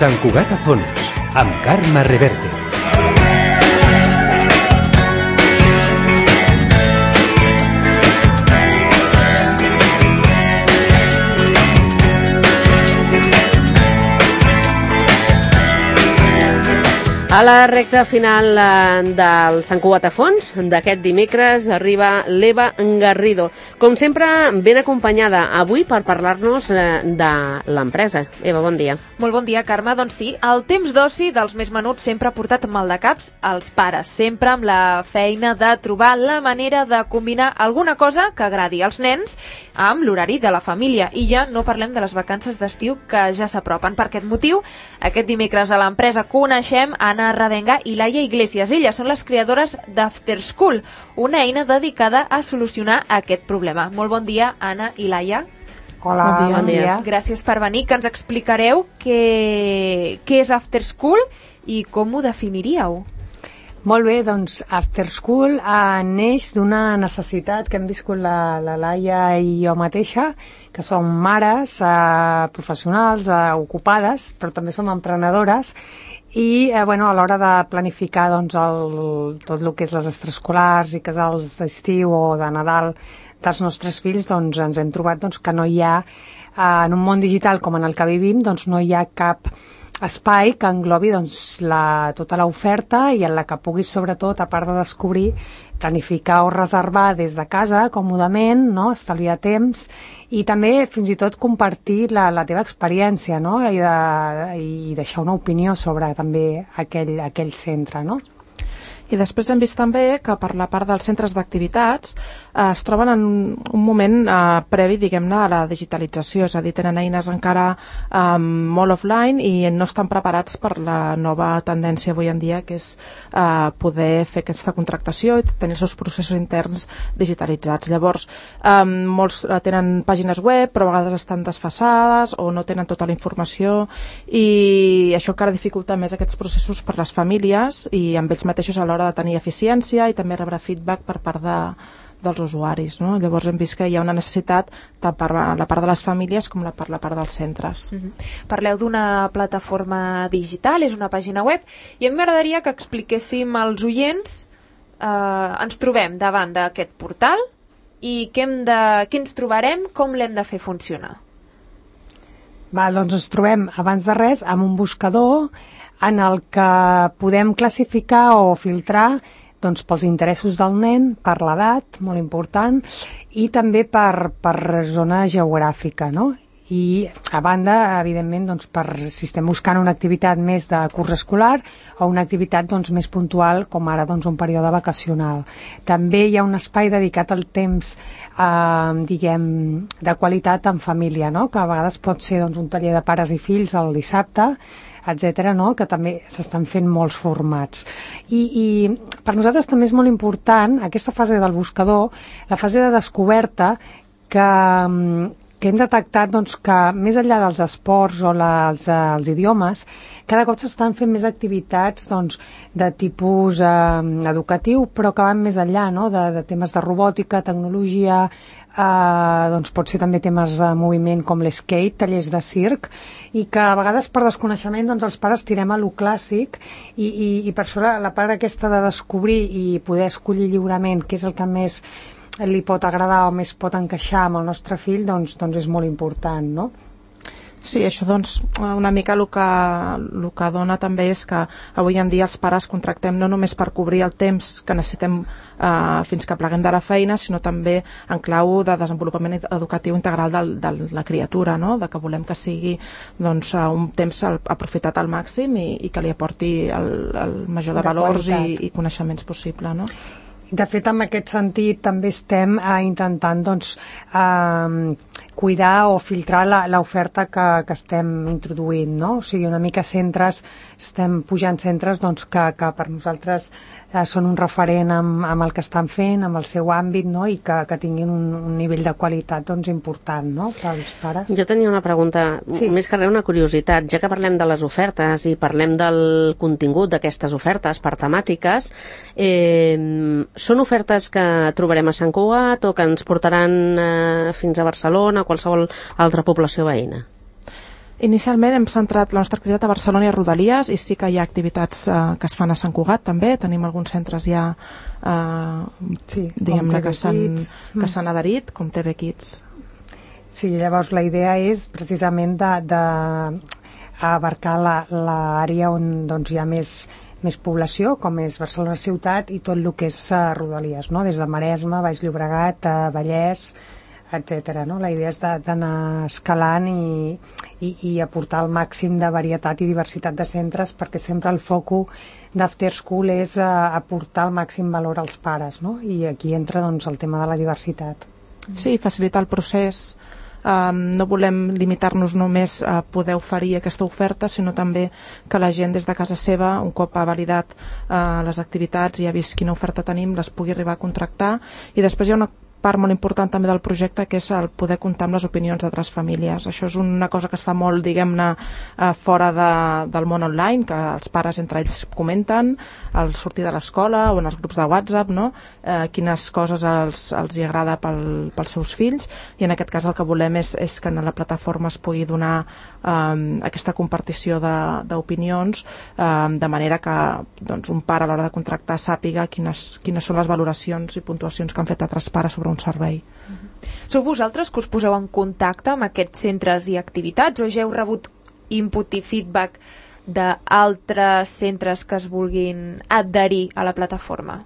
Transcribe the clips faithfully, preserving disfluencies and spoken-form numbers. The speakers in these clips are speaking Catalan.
Sant Cugat a fons, amb Carme Reverte. A la recta final del Sant Cugat a fons d'aquest dimecres arriba l'Eva Garrido, com sempre ben acompanyada avui per parlar-nos de l'empresa. Eva, bon dia. Molt bon dia, Carme. Doncs sí, el temps d'oci dels més menuts sempre ha portat mal de caps als pares, sempre amb la feina de trobar la manera de combinar alguna cosa que agradi als nens amb l'horari de la família. I ja no parlem de les vacances d'estiu que ja s'apropen. Per aquest motiu, aquest dimecres a l'empresa coneixem Anna Ravenga i Laia Iglesias. Elles són les creadores d'After School, una eina dedicada a solucionar aquest problema. Molt bon dia, Anna i Laia. Hola, bon dia. Bon dia. Gràcies per venir, que ens explicareu què, què és After School i com ho definiríeu. Molt bé, doncs After School eh, neix d'una necessitat que hem viscut la, la Laia i jo mateixa, que som mares eh, professionals, eh, ocupades, però també som emprenedores, i eh, bueno, a l'hora de planificar doncs, el, tot el que és les extraescolars i casals d'estiu o de Nadal dels nostres fills, doncs ens hem trobat doncs, que no hi ha, eh, en un món digital com en el que vivim, doncs no hi ha cap espai que englobi doncs, la, tota l'oferta i en la que puguis, sobretot, a part de descobrir, planificar o reservar des de casa, còmodament, no? Estalviar temps i també fins i tot compartir la, la teva experiència, no? I, de, i deixar una opinió sobre també aquell, aquell centre, no? I després hem vist també que per la part dels centres d'activitats eh, es troben en un moment eh, previ, diguem-ne, a la digitalització, és a dir, tenen eines encara eh, molt offline i no estan preparats per la nova tendència avui en dia, que és eh, poder fer aquesta contractació i tenir els seus processos interns digitalitzats. Llavors, eh, molts tenen pàgines web, però a vegades estan desfasades o no tenen tota la informació, i això encara dificulta més aquests processos per les famílies i amb ells mateixos a l'hora de tenir eficiència i també rebre feedback per part de, dels usuaris, no? Llavors hem vist que hi ha una necessitat tant per la part de les famílies com la per la part dels centres. Mm-hmm. Parleu d'una plataforma digital, és una pàgina web, i a mi m'agradaria que expliquéssim als oients, eh, ens trobem davant d'aquest portal i què, hem de, què ens trobarem, com l'hem de fer funcionar. Va, doncs ens trobem, abans de res, amb un buscador en el que podem classificar o filtrar doncs, pels interessos del nen, per l'edat, molt important, i també per, per zona geogràfica, no? I a banda, evidentment, doncs, per si estem buscant una activitat més de curs escolar o una activitat doncs, més puntual, com ara doncs, un període vacacional. També hi ha un espai dedicat al temps eh, diguem, de qualitat en família, no? Que a vegades pot ser doncs, un taller de pares i fills el dissabte, etcètera, no? Que també s'estan fent molts formats. I, I per nosaltres també és molt important aquesta fase del buscador, la fase de descoberta, que, que hem detectat doncs, que més enllà dels esports o la, els, els idiomes, cada cop s'estan fent més activitats doncs, de tipus eh, educatiu, però que van més enllà, no? de, de temes de robòtica, tecnologia, Uh, doncs pot ser també temes de moviment com l'skate, tallers de circ, i que a vegades per desconeixement doncs els pares tirem a lo clàssic i, i, i per això la, la part aquesta de descobrir i poder escollir lliurement què és el que més li pot agradar o més pot encaixar amb el nostre fill, doncs, doncs és molt important, no? Sí, això doncs una mica el que, el que dona també és que avui en dia els pares contractem no només per cobrir el temps que necessitem eh, fins que pleguem de la feina, sinó també en clau de desenvolupament educatiu integral de, de la criatura, no? De que volem que sigui doncs, un temps aprofitat al màxim i, i que li aporti el, el major de, de valors i, i coneixements possible, no? De fet, en aquest sentit, també estem eh, intentant doncs, eh, cuidar o filtrar l'oferta que, que estem introduint, no? O sigui, una mica centres, estem pujant centres doncs, que, que per nosaltres eh, són un referent amb, amb el que estan fent, amb el seu àmbit, no? I que, que tinguin un, un nivell de qualitat doncs, important, no? Pels pares. Jo tenia una pregunta, sí. Més que res una curiositat, ja que parlem de les ofertes i parlem del contingut d'aquestes ofertes per temàtiques, eh, són ofertes que trobarem a Sant Cugat o que ens portaran eh, fins a Barcelona o qualsevol altra població veïna? Inicialment hem centrat la nostra activitat a Barcelona i a Rodalies, i sí que hi ha activitats eh, que es fan a Sant Cugat també, tenim alguns centres ja eh, sí, diguem-ne que s'han mm. que s'han adherit, com T V Kids. Sí, llavors la idea és precisament de, de abarcar l'àrea on doncs, hi ha més, més població, com és Barcelona ciutat i tot el que és uh, Rodalies, no? Des de Maresme, Baix Llobregat, uh, Vallès, etcètera. No? La idea és d'anar escalant i, i, i aportar el màxim de varietat i diversitat de centres, perquè sempre el foco d'After School és uh, aportar el màxim valor als pares, no? I aquí entra doncs, el tema de la diversitat. Sí, facilitar el procés. Um, no volem limitar-nos només a poder oferir aquesta oferta, sinó també que la gent des de casa seva, un cop ha validat uh, les activitats i ha vist quina oferta tenim, les pugui arribar a contractar. I després hi ha una part molt important també del projecte, que és el poder comptar amb les opinions d'altres famílies. Això és una cosa que es fa molt, diguem-ne, eh, fora de, del món online, que els pares entre ells comenten al sortir de l'escola o en els grups de WhatsApp, no? eh, quines coses els, els hi agrada pel, pels seus fills, i en aquest cas el que volem és, és que en la plataforma es pugui donar eh, aquesta compartició d'opinions, eh, de manera que doncs, un pare a l'hora de contractar sàpiga quines, quines són les valoracions i puntuacions que han fet altres pares sobre un servei. Sou vosaltres que us poseu en contacte amb aquests centres i activitats, o ja heu rebut input i feedback d'altres centres que es vulguin adherir a la plataforma?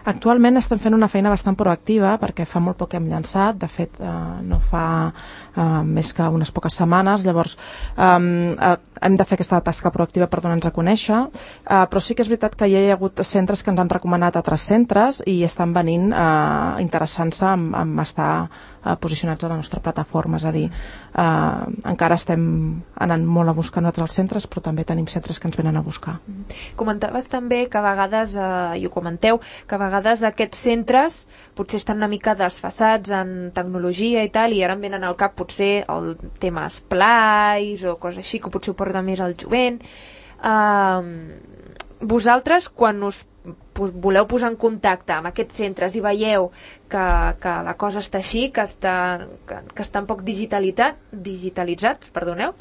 Actualment estem fent una feina bastant proactiva, perquè fa molt poc que hem llançat, de fet eh, no fa eh, més que unes poques setmanes, llavors eh, hem de fer aquesta tasca proactiva per donar-nos a conèixer, eh, però sí que és veritat que hi ha hagut centres que ens han recomanat altres centres i estan venint eh, interessant-se en, en estar eh, posicionats a la nostra plataforma, és a dir, eh, encara estem anant molt a buscar nosaltres els centres, però també tenim centres que ens venen a buscar. Comentaves també que a vegades, eh, i ho comenteu, que a vegades aquests centres potser estan una mica desfasats en tecnologia i tal, i ara em venen al cap potser el tema esplais o coses així, que potser ho porta més al jovent. Uh, vosaltres, quan us voleu posar en contacte amb aquests centres i veieu que, que la cosa està així, que està, que, que està un poc digitalitat, digitalitzats, perdoneu,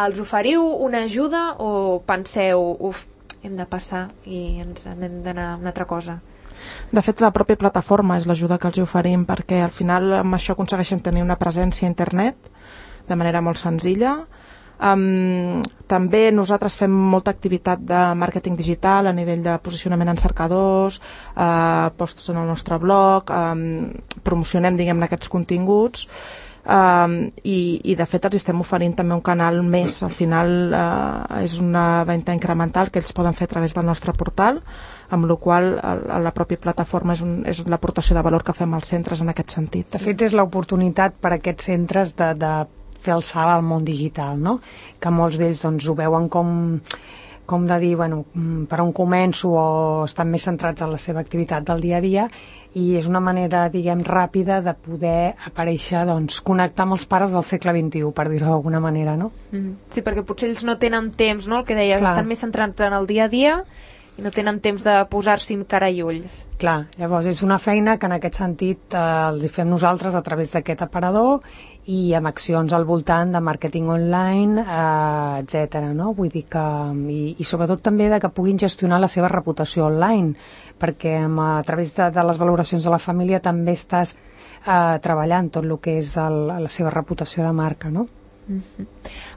els oferiu una ajuda o penseu, uf, hem de passar i ens hem d'anar a una altra cosa? De fet, la pròpia plataforma és l'ajuda que els oferim, perquè al final amb això aconsegueixen tenir una presència a internet de manera molt senzilla. Um, també nosaltres fem molta activitat de màrqueting digital a nivell de posicionament en cercadors, uh, posts en el nostre blog, um, promocionem, diguem-ne, aquests continguts. Um, i, i de fet els estem oferint també un canal més, al final uh, és una venda incremental que ells poden fer a través del nostre portal, amb la qual cosa la pròpia plataforma és, un, és l'aportació de valor que fem als centres en aquest sentit. De fet és l'oportunitat per a aquests centres de, de fer el salt al món digital, no? Que molts d'ells doncs, ho veuen com, com de dir, bueno, per on començo, o estan més centrats en la seva activitat del dia a dia, i és una manera, diguem, ràpida de poder aparèixer, doncs, connectar amb els pares del segle vint-i-u, per dir-ho d'alguna manera, no? Mm. Sí, perquè potser ells no tenen temps, no?, el que deies, Clar. Estan més centrats en el dia a dia i no tenen temps de posar-s'hi cara i ulls. Clar, llavors és una feina que en aquest sentit eh, els hi fem nosaltres a través d'aquest aparador i amb accions al voltant de màrqueting online, eh, etcètera, no? Vull dir que, i, i sobretot també de que puguin gestionar la seva reputació online, perquè amb, a través de, de les valoracions de la família també estàs eh, treballant tot el que és el, la seva reputació de marca, no? Mm-hmm.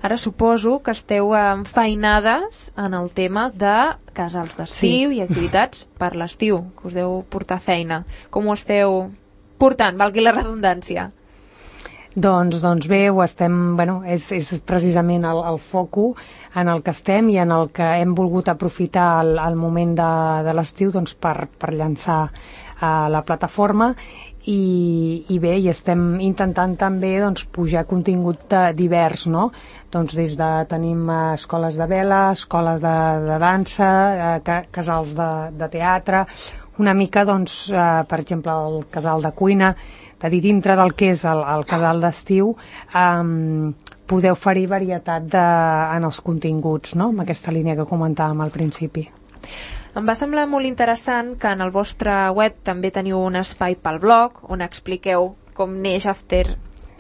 Ara suposo que esteu enfeinades en el tema de casals d'estiu, sí, i activitats per l'estiu, que us deu portar feina. Com ho esteu portant, valgui la redundància? Doncs, doncs bé, ho estem, bueno, és, és precisament el, el foco en el que estem i en el que hem volgut aprofitar el, el moment de, de l'estiu doncs, per, per llançar uh, la plataforma. I, i bé, i estem intentant també doncs, pujar contingut de, divers, no? Doncs des de tenim uh, escoles de vela, escoles de, de dansa, uh, ca, casals de, de teatre, una mica, doncs, uh, per exemple, el casal de cuina, de dir, dintre del que és el, el casal d'estiu, um, poder oferir varietat de, en els continguts, no? Amb aquesta línia que comentàvem al principi. Em va semblar molt interessant que en el vostre web també teniu un espai pel blog on expliqueu com neix After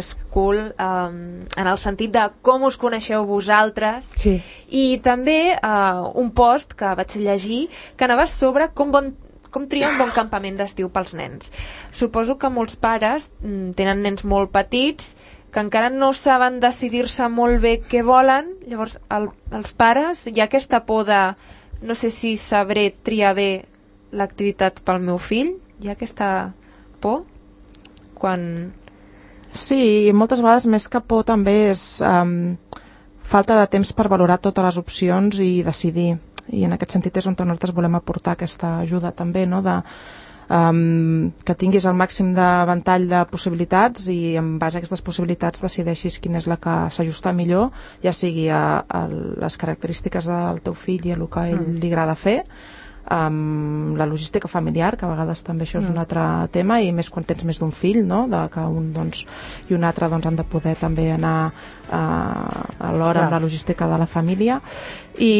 school um, en el sentit de com us coneixeu vosaltres, Sí. i també uh, un post que vaig llegir que anava sobre com, bon, com triar un bon campament d'estiu pels nens. Suposo que molts pares mm, tenen nens molt petits que encara no saben decidir-se molt bé què volen, llavors el, els pares hi ha aquesta por de no sé si sabré triar bé l'activitat pel meu fill, hi ha aquesta por quan... Sí, i moltes vegades més que por també és um, falta de temps per valorar totes les opcions i decidir, i en aquest sentit és on nosaltres volem aportar aquesta ajuda també, no? de, um, que tinguis el màxim de ventall de possibilitats i en base a aquestes possibilitats decideixis quina és la que s'ajusta millor, ja sigui a, a les característiques del teu fill i a el que a ell mm. li agrada fer, Um, la logística familiar, que a vegades també això és un altre tema, i més quan tens més d'un fill, no? de que un doncs, i un altre doncs, han de poder també anar uh, alhora amb la logística de la família, i,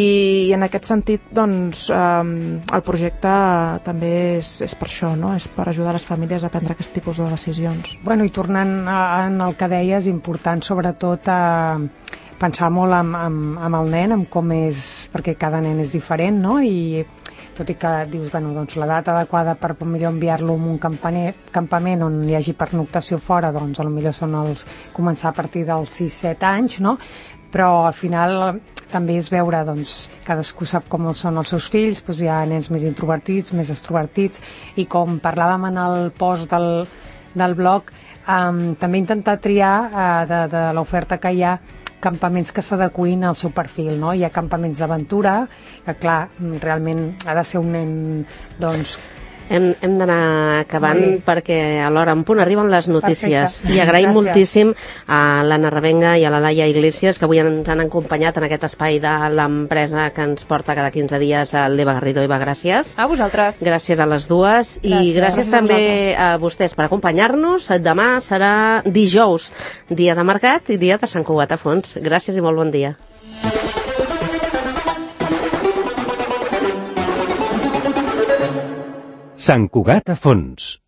i en aquest sentit doncs, um, el projecte també és, és per això, no? És per ajudar les famílies a prendre aquest tipus de decisions. Bueno, i tornant a, en el que deies, important sobretot a pensar molt amb, amb, amb el nen, amb com és, perquè cada nen és diferent, no? I tot i que dius, bueno, doncs la data adequada per millor enviar-lo a un campament on hi hagi pernoctació fora, doncs potser són els començar a partir dels sis set anys, no? Però al final també és veure, doncs, cadascú sap com són els seus fills, doncs hi ha nens més introvertits, més extrovertits, i com parlàvem en el post del, del blog, um, també intentar triar uh, de, de l'oferta que hi ha campaments que s'adequin al seu perfil, no? Hi ha campaments d'aventura, que clar, realment ha de ser un nen, doncs... Hem, hem d'anar acabant, sí, perquè a l'hora en punt arriben les notícies. Perfecte. I agraïm Gràcies. moltíssim a l'Anna Revenga i a la Laia Iglesias, que avui ens han acompanyat en aquest espai de l'empresa que ens porta cada quinze dies a l'Eva Garrido. Eva, gràcies. A vosaltres. Gràcies a les dues. Gràcies. I gràcies, Gràcies també a a vostès per acompanyar-nos. Demà serà dijous, dia de mercat i dia de Sant Cugat a Fons. Gràcies i molt bon dia. Sant Cugat a Fons.